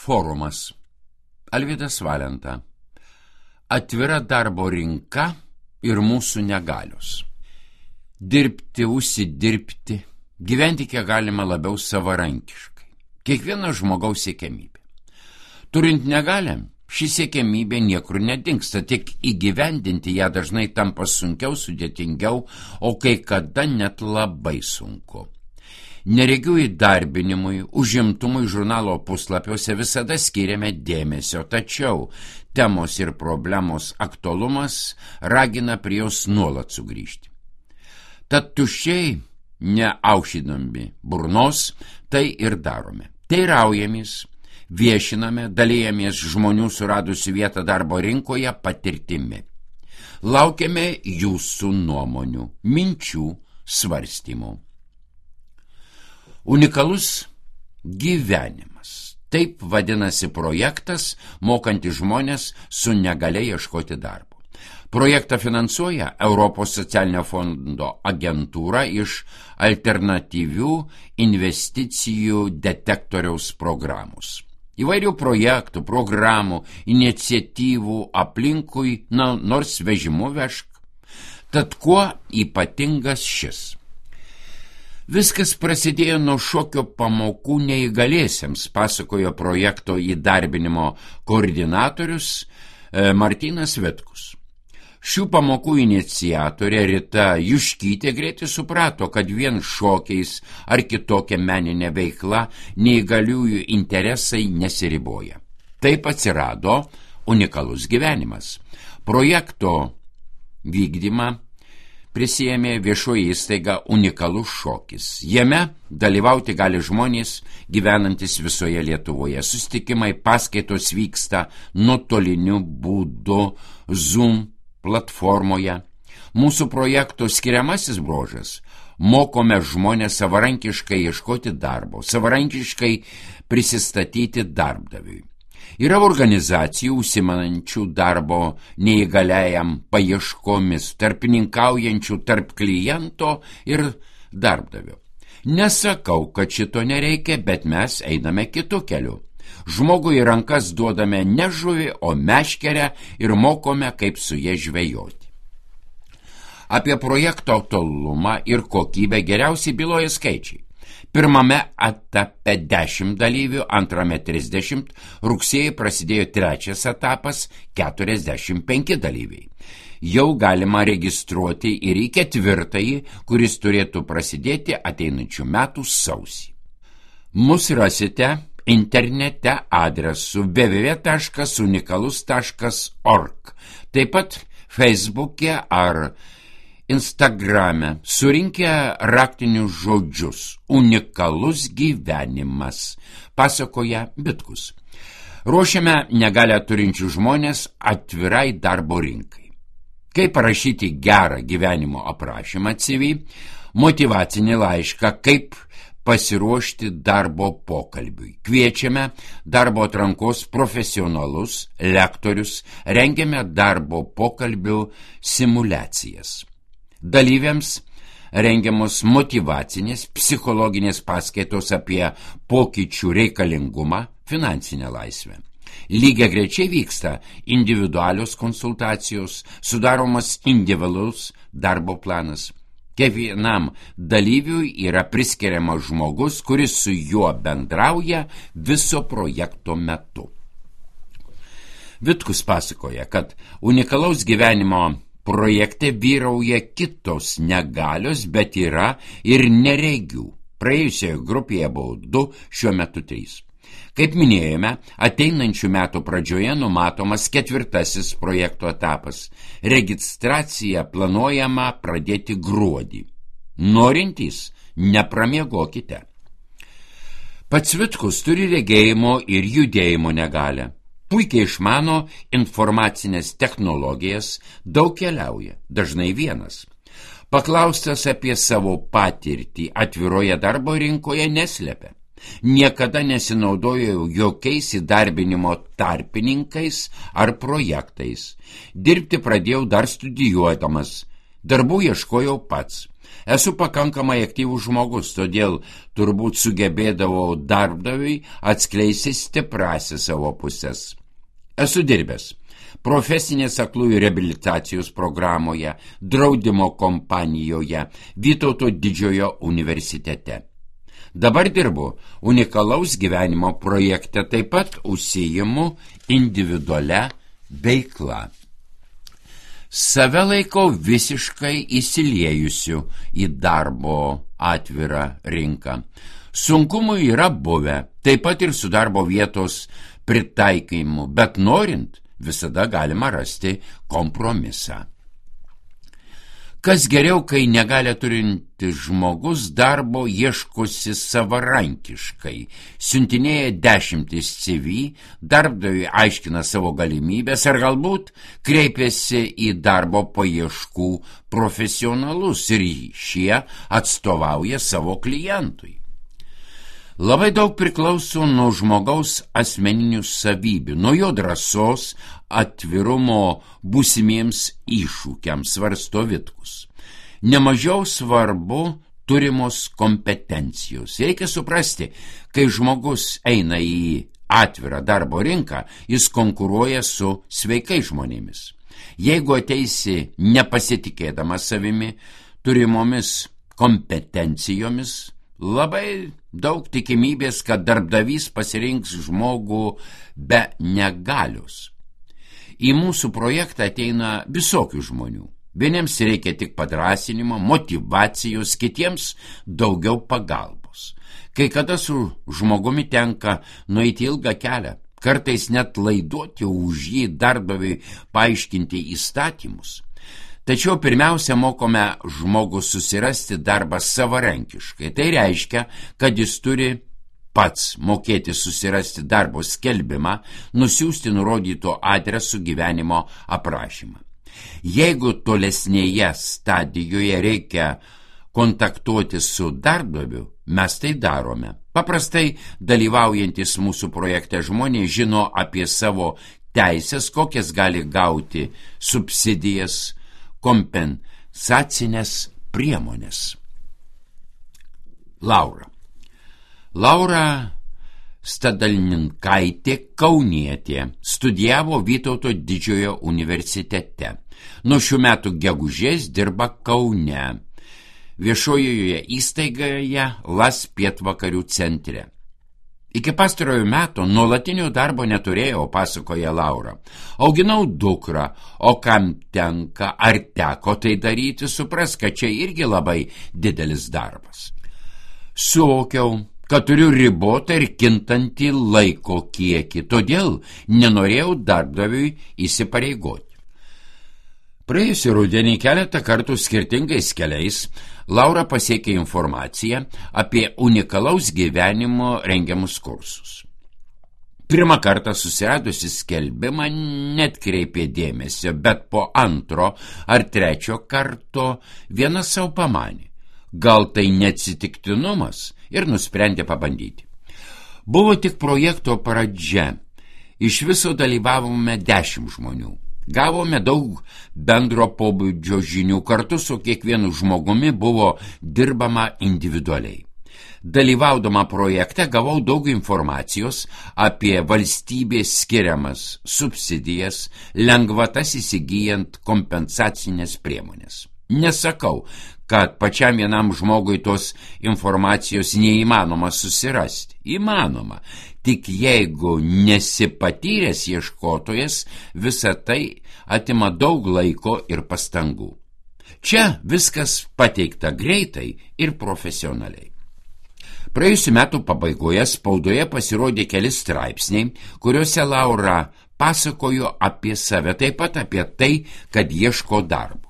Forumas. Alvydas Valenta. Atvira darbo rinka ir mūsų negalios. Dirbti, užsidirbti, gyventi kiek galima labiau savarankiškai. Kiekvieno žmogaus siekiamybė. Turint negalią, ši siekiamybė niekur nedingsta, tik įgyvendinti ją dažnai tampa sunkiau, sudėtingiau, o kai kada net labai sunku. Neregių įdarbinimui, užimtumui žurnalo puslapiuose visada skiriame dėmesio, tačiau temos ir problemos aktualumas ragina prie jos nuolat sugrįžti. Tad tuščiai, neaušydami burnos, tai ir darome. Teiraujamės, viešiname, dalijamės žmonių suradusių vietą darbo rinkoje patirtimi. Laukiame jūsų nuomonių, minčių, svarstymų. Unikalus gyvenimas. Taip vadinasi projektas, mokantis žmonės su negalia ieškoti darbo. Projektą finansuoja Europos socialinio fondo agentūra iš alternatyvių investicijų detektoriaus programos. Įvairių projektų, programų, iniciatyvų aplinkui, nors vežimu vežk. Tad kuo ypatingas šis? Viskas prasidėjo nuo šokio pamokų neįgaliesiems, pasakojo projekto įdarbinimo koordinatorius Martynas Vitkus. Šių pamokų iniciatorė Rita Juškytė greitai suprato, kad vien šokiais ar kitokia meninė veikla neįgaliųjų interesai nesiriboja. Taip atsirado unikalus gyvenimas. Projekto vykdymą prisijėmė viešoji įstaiga Unikalus šokis. Jame dalyvauti gali žmonės gyvenantis visoje Lietuvoje. Susitikimai, paskaitos vyksta nuotoliniu būdu Zoom platformoje. Mūsų projekto skiriamasis bruožas – mokome žmonės savarankiškai ieškoti darbo, savarankiškai prisistatyti darbdaviui. Yra organizacijų užsimanančių darbo neįgaliajam paieškomis, tarpininkaujančių tarp kliento ir darbdavio. Nesakau, kad šito nereikia, bet mes einame kitu keliu. Žmogui į rankas duodame ne žuvį, o meškerę ir mokome, kaip su ja žvejoti. Apie projekto aktualumą ir kokybę geriausiai byloja skaičiai. Pirmame etape 10 dalyvių, antrame 30, rugsėjį prasidėjo trečias etapas 45 dalyviai. Jau galima registruoti ir į ketvirtąjį, kuris turėtų prasidėti ateinančių metų sausį. Mus rasite internete adresu www.unikalus.org, taip pat Facebook'e ar Instagrame, surinkę raktinius žodžius Unikalus gyvenimas, pasakoja Vitkus. Ruošiame negalią turinčių žmonės atvirai darbo rinkai. Kaip parašyti gerą gyvenimo aprašymą CV, motyvacinį laišką, kaip pasiruošti darbo pokalbiui. Kviečiame darbo atrankos profesionalus, lektorius, rengiame darbo pokalbių simulacijas. Dalyviams rengiamos motyvacinės, psichologinės paskaitos apie pokyčių reikalingumą, finansinę laisvę. Lygiagrečiai vyksta individualios konsultacijos, sudaromas individualus darbo planas. Kiekvienam dalyviui yra priskiriamas žmogus, kuris su juo bendrauja viso projekto metu. Vitkus pasakoja, kad unikalaus gyvenimo projekte vyrauja kitos negalios, bet yra ir neregių. Praėjusioje grupėje buvo 2, šiuo metu 3. Kaip minėjome, ateinančių metų pradžioje numatomas 4. projekto etapas. Registraciją planuojama pradėti gruodį. Norintys, nepramiegokite. Pats Vitkus turi regėjimo ir judėjimo negalią. Puikiai išmano informacinės technologijas, daug keliauja, dažnai vienas. Paklaustas apie savo patirtį atviroje darbo rinkoje neslepia. Niekada nesinaudojau jokiais įdarbinimo tarpininkais ar projektais. Dirbti pradėjau dar studijuodamas. Darbų ieškojau pats. Esu pakankamai aktyvus žmogus, todėl turbūt sugebėdavau darbdaviui atskleisti stipriąsias savo pusės. Esu dirbęs profesinės aklųjų reabilitacijos programoje, draudimo kompanijoje, Vytauto didžiojo universitete. Dabar dirbu unikalaus gyvenimo projekte, taip pat užsiimu individualia veikla. Save laikau visiškai įsiliejusiu į darbo atvirą rinką. Sunkumų yra buvę, taip pat ir su darbo vietos pritaikymu, bet norint, visada galima rasti kompromisą. Kas geriau, kai negali turintis žmogus darbo ieškosi savarankiškai, siuntinėja 10 CV, darbdaviui aiškina savo galimybės ar galbūt kreipiasi į darbo paieškų profesionalus ir šie atstovauja savo klientui. Labai daug priklauso nuo žmogaus asmeninių savybių, nuo jo drąsos, atvirumo būsimiems iššūkiams, svarsto Vitkus. Nemažiau svarbu turimos kompetencijos. Reikia suprasti, kai žmogus eina į atvirą darbo rinką, jis konkuruoja su sveikais žmonėmis. Jeigu ateisi nepasitikėdamas savimi, turimomis kompetencijomis, labai daug tikimybės, kad darbdavys pasirinks žmogų be negalios. Į mūsų projektą ateina visokių žmonių. Vieniems reikia tik padrąsinimo, motyvacijos, kitiems daugiau pagalbos. Kai kada su žmogumi tenka nueiti ilgą kelią, kartais net laiduoti už jį darbdaviui paaiškinti įstatymus. Tačiau pirmiausia mokome žmogų susirasti darbą savarankiškai. Tai reiškia, kad jis turi pats mokėti susirasti darbo skelbimą, nusiųsti nurodyto adresu gyvenimo aprašymą. Jeigu tolesnėje stadijoje reikia kontaktuoti su darbdaviu, mes tai darome. Paprastai dalyvaujantis mūsų projekte žmonės žino apie savo teisės, kokias gali gauti subsidijas, kompensacinės priemonės. Laura Stadalninkaitė Kaunietė studijavo Vytauto didžiojo universitete. Nuo šių metų gegužės dirba Kaune, viešojoje įstaigoje LAS pietvakarių centre. Iki pastarojo meto nuolatinio darbo neturėjau, pasakoja Laura. Auginau dukrą, o kam tenka ar teko tai daryti, supras, kad čia irgi labai didelis darbas. Suvokiau, kad turiu ribotą ir kintantį laiko kiekį, todėl nenorėjau darbdaviui įsipareigoti. Praėjusį rudenį keletą kartų skirtingais keliais Laura pasiekė informaciją apie unikalaus gyvenimo rengiamus kursus. Pirmą kartą susiradusi skelbimą netkreipė dėmesio, bet po antro ar trečio karto viena savo pamanė. Gal tai neatsitiktinumas ir nusprendė pabandyti. Buvo tik projekto pradžia. Iš viso dalyvavome 10 žmonių. Gavome daug bendro pobūdžio žinių, kartu su kiekvienu žmogumi buvo dirbama individualiai. Dalyvaudama projekte gavau daug informacijos apie valstybės skiriamas subsidijas, lengvatas įsigyjant kompensacinės priemonės. Nesakau, kad pačiam vienam žmogui tos informacijos neįmanoma susirasti. Įmanoma, tik jeigu nesi patyręs ieškotojas, visa tai atima daug laiko ir pastangų. Čia viskas pateikta greitai ir profesionaliai. Praėjusių metų pabaigoje spaudoje pasirodė keli straipsniai, kuriuose Laura pasakojo apie save, taip pat apie tai, kad ieško darbo.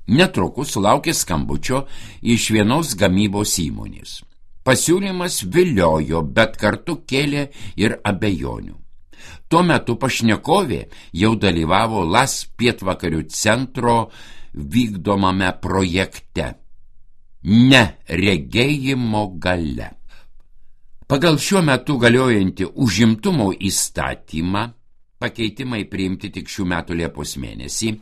Netrukus sulaukė skambučio iš vienos gamybos įmonės. Pasiūlymas viliojo, bet kartu kėlė ir abejonių. Tuo metu pašnekovė jau dalyvavo LAS pietvakarių centro vykdomame projekte Neregėjimo galia. Pagal šiuo metu galiojantį užimtumo įstatymą, pakeitimai priimti tik šių metų Liepos mėnesį,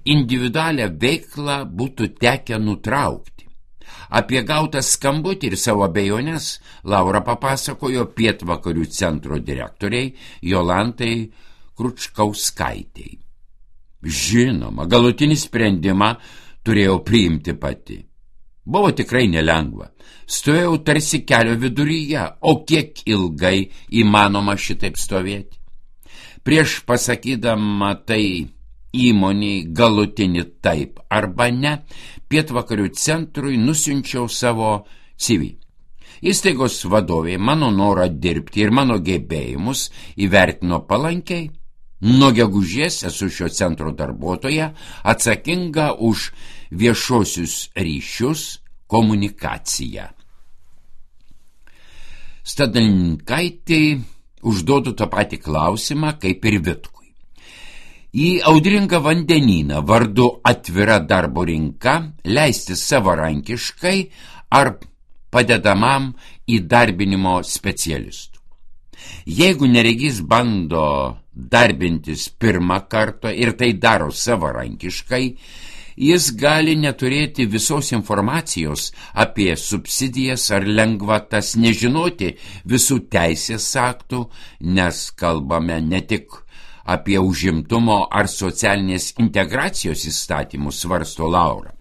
individualią veiklą būtų tekę nutraukti. Apie gautą skambutį ir savo abejonės Laura papasakojo Pietvakarių centro direktoriai Jolantai Kručkauskaitei. Žinoma, galutinį sprendimą turėjau priimti pati. Buvo tikrai nelengva. Stovėjau tarsi kelio viduryje, o kiek ilgai įmanoma šitaip stovėti. Prieš pasakydama tai įmoniai galutinį taip arba ne, Pietvakarių centrui nusiunčiau savo CV. Įstaigos vadovė mano norą dirbti ir mano gebėjimus įvertino palankiai. Nuo gegužės esu šio centro darbuotoja, atsakinga už viešuosius ryšius, komunikaciją. Stadalinkaitei užduodu tą patį klausimą kaip ir Vitkui. Į audringą vandenyną vardu atvira darbo rinka leisti savarankiškai ar padedamam įdarbinimo specialistų. Jeigu neregys bando darbintis pirmą kartą ir tai daro savarankiškai, jis gali neturėti visos informacijos apie subsidijas ar lengvatas, nežinoti visų teisės aktų, nes kalbame ne tik apie užimtumo ar socialinės integracijos įstatymus, svarsto Laura.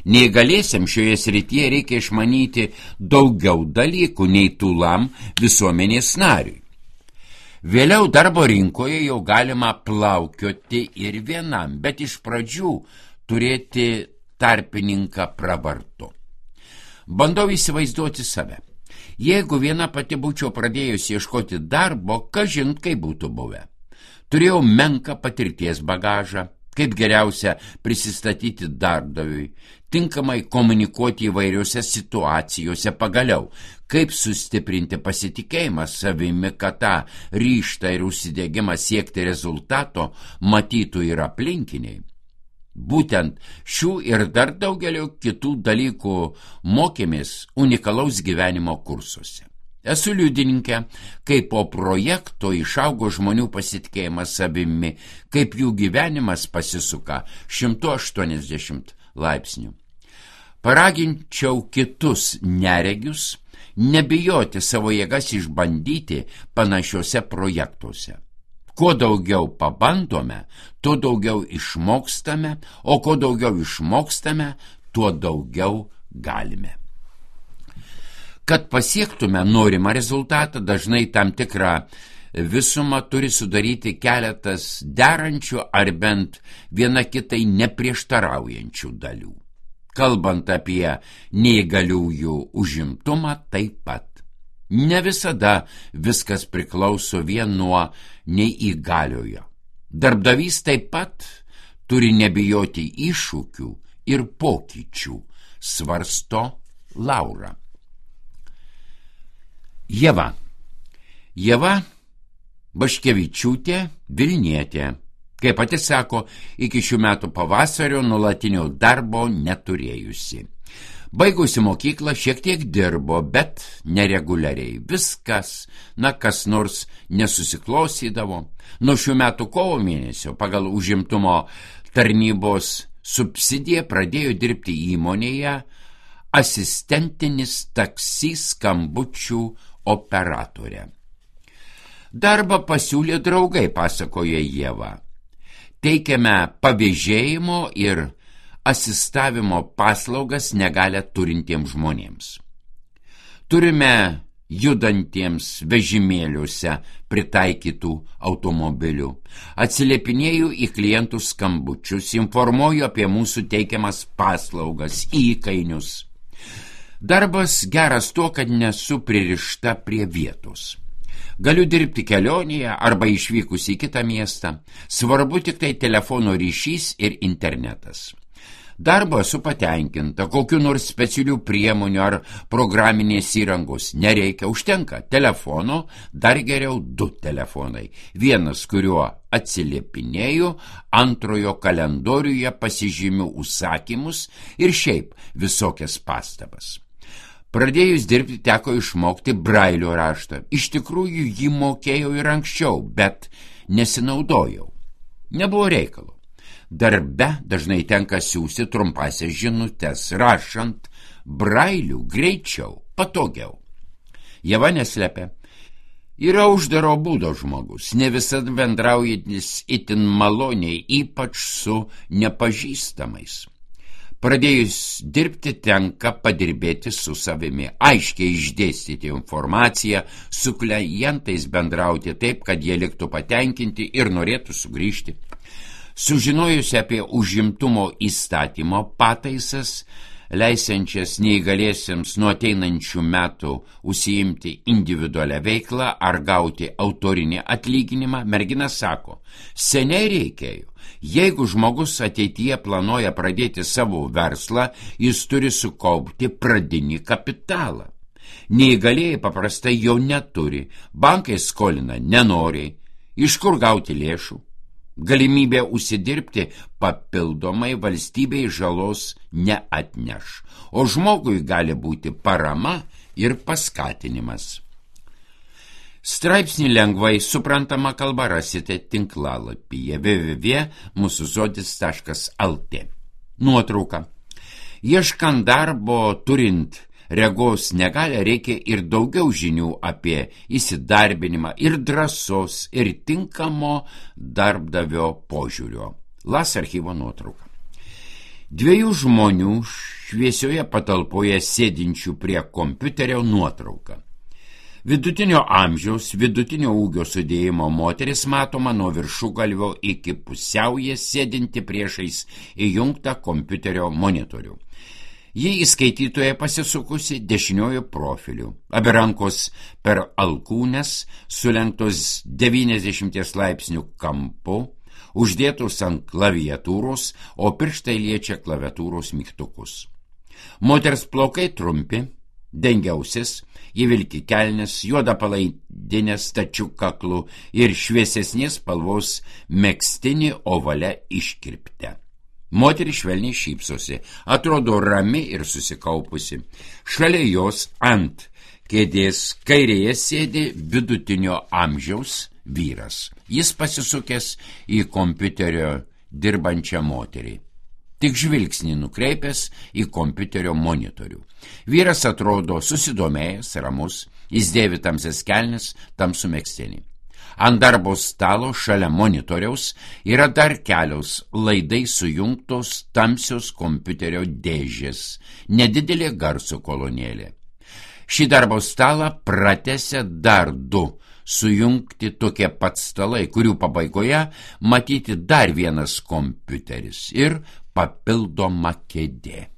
Neįgaliesiam šioje srityje reikia išmanyti daugiau dalykų nei tūlam visuomenės nariui. Vėliau darbo rinkoje jau galima plaukioti ir vienam, bet iš pradžių turėti tarpininką pravartu. Bandau įsivaizduoti save. Jeigu viena pati būčiau pradėjusi ieškoti darbo, kažin kaip būtų buvę. Turėjau menką patirties bagažą, kaip geriausia prisistatyti darbdaviui, tinkamai komunikuoti įvairiose situacijose, pagaliau, kaip sustiprinti pasitikėjimą savimi, kad tą ryžtą ir užsidegimą siekti rezultato matytų ir aplinkiniai. Būtent šių ir dar daugelio kitų dalykų mokėmės unikalaus gyvenimo kursuose. Esu liudininkė, kaip po projekto išaugo žmonių pasitikėjimas savimi, kaip jų gyvenimas pasisuka 180 laipsnių. Paraginčiau kitus neregius nebijoti savo jėgas išbandyti panašiuose projektuose. Kuo daugiau pabandome, tuo daugiau išmokstame, o kuo daugiau išmokstame, tuo daugiau galime. Kad pasiektume norimą rezultatą, dažnai tam tikrą visumą turi sudaryti keletas derančių ar bent viena kitai neprieštaraujančių dalių. Kalbant apie neįgaliųjų užimtumą, taip pat. Ne visada viskas priklauso vien nuo neįgaliojo. Darbdavys taip pat turi nebijoti iššūkių ir pokyčių, svarsto Laura. Ieva Baškevičiūtė, Vilnietė. Kaip pati sako, iki šių metų pavasario nuolatinio darbo neturėjusi. Baigusi mokyklą šiek tiek dirbo, bet nereguliariai. Viskas, kas nors nesusiklostydavo. Nuo šių metų kovo mėnesio pagal užimtumo tarnybos subsidiją pradėjo dirbti įmonėje asistentinis taksi skambučių operatorė. Darbą pasiūlė draugai, pasakoja Ieva. Teikiame pavėžėjimo ir asistavimo paslaugas negalią turintiems žmonėms. Turime judantiems vežimėliuose pritaikytų automobilių. Atsiliepinėju į klientų skambučius, informuoju apie mūsų teikiamas paslaugas, įkainius. Darbas geras tuo, kad nesu pririšta prie vietos. Galiu dirbti kelionėje arba išvykus į kitą miestą. Svarbu tik tai telefono ryšys ir internetas. Darbo esu patenkinta, kokiu nors specialių priemonių ar programinės įrangos nereikia, užtenka telefono, dar geriau 2 telefonai. Vienas, kuriuo atsiliepinėju, antrojo kalendoriuje pasižymiu užsakymus ir šiaip visokias pastabas. Pradėjus dirbti teko išmokti brailio raštą. Iš tikrųjų jį mokėjau ir anksčiau, bet nesinaudojau. Nebuvo reikalo. Darbe dažnai tenka siųsti trumpasias žinutes, rašant brailių greičiau, patogiau. Ieva neslepia. Yra uždaro būdo žmogus, ne visada bendraujantis itin maloniai, ypač su nepažįstamais. Pradėjus dirbti tenka padirbėti su savimi, aiškiai išdėstyti informaciją, su klientais bendrauti taip, kad jie liktų patenkinti ir norėtų sugrįžti. Sužinojus apie užimtumo įstatymo pataisas, leisiančias neįgaliesiems nuo ateinančių metų užsiimti individualią veiklą ar gauti autorinį atlyginimą, mergina sako, seniai reikėjo. Jeigu žmogus ateityje planuoja pradėti savo verslą, jis turi sukaupti pradinį kapitalą. Neįgalieji paprastai jo neturi, bankai skolina nenoriai, iš kur gauti lėšų. Galimybė užsidirbti papildomai valstybei žalos neatneš, o žmogui gali būti parama ir paskatinimas. Straipsnį lengvai suprantama kalba rasite tinklalapyje www.musuzodis.lt. Nuotrauka. Ieškant darbo turint regos negalią reikia ir daugiau žinių apie įsidarbinimą ir drąsos ir tinkamo darbdavio požiūrio. LAS archyvo nuotrauka. Dviejų žmonių šviesioje patalpoje sėdinčių prie kompiuterio nuotrauka. Vidutinio amžiaus, vidutinio ūgio sudėjimo moteris matoma nuo viršugalvio iki pusiaujas sėdinti priešais įjungtą kompiuterio monitorių. Ji į skaitytoją pasisukusi dešiniojo profiliu. Abi rankos per alkūnes, sulenktos 90 laipsnių kampu, uždėtos ant klaviatūros, o pirštai liečia klaviatūros mygtukus. Moters plaukai trumpi, dengia ausis, ji vilki kelnes, juoda palaidinė stačiu kaklu ir šviesesnės spalvos megztinį ovale iškirpte. Moteris švelniai šypsosi, atrodo rami ir susikaupusi. Šalia jos ant kėdės kairėje sėdi vidutinio amžiaus vyras. Jis pasisukęs į kompiuterio dirbančią moterį. Tik žvilgsnį nukreipęs į kompiuterio monitorių. Vyras atrodo susidomėjęs, ramus, jis dėvi tamsias kelnes, tamsų megztinį. Ant darbo stalo šalia monitoriaus yra dar kelios laidai sujungtos tamsios kompiuterio dėžės, nedidelė garso kolonėlė. Šį darbo stalą pratęsia dar du sujungti tokie pat stalai, kurių pabaigoje matyti dar vienas kompiuteris ir papildoma kėdė.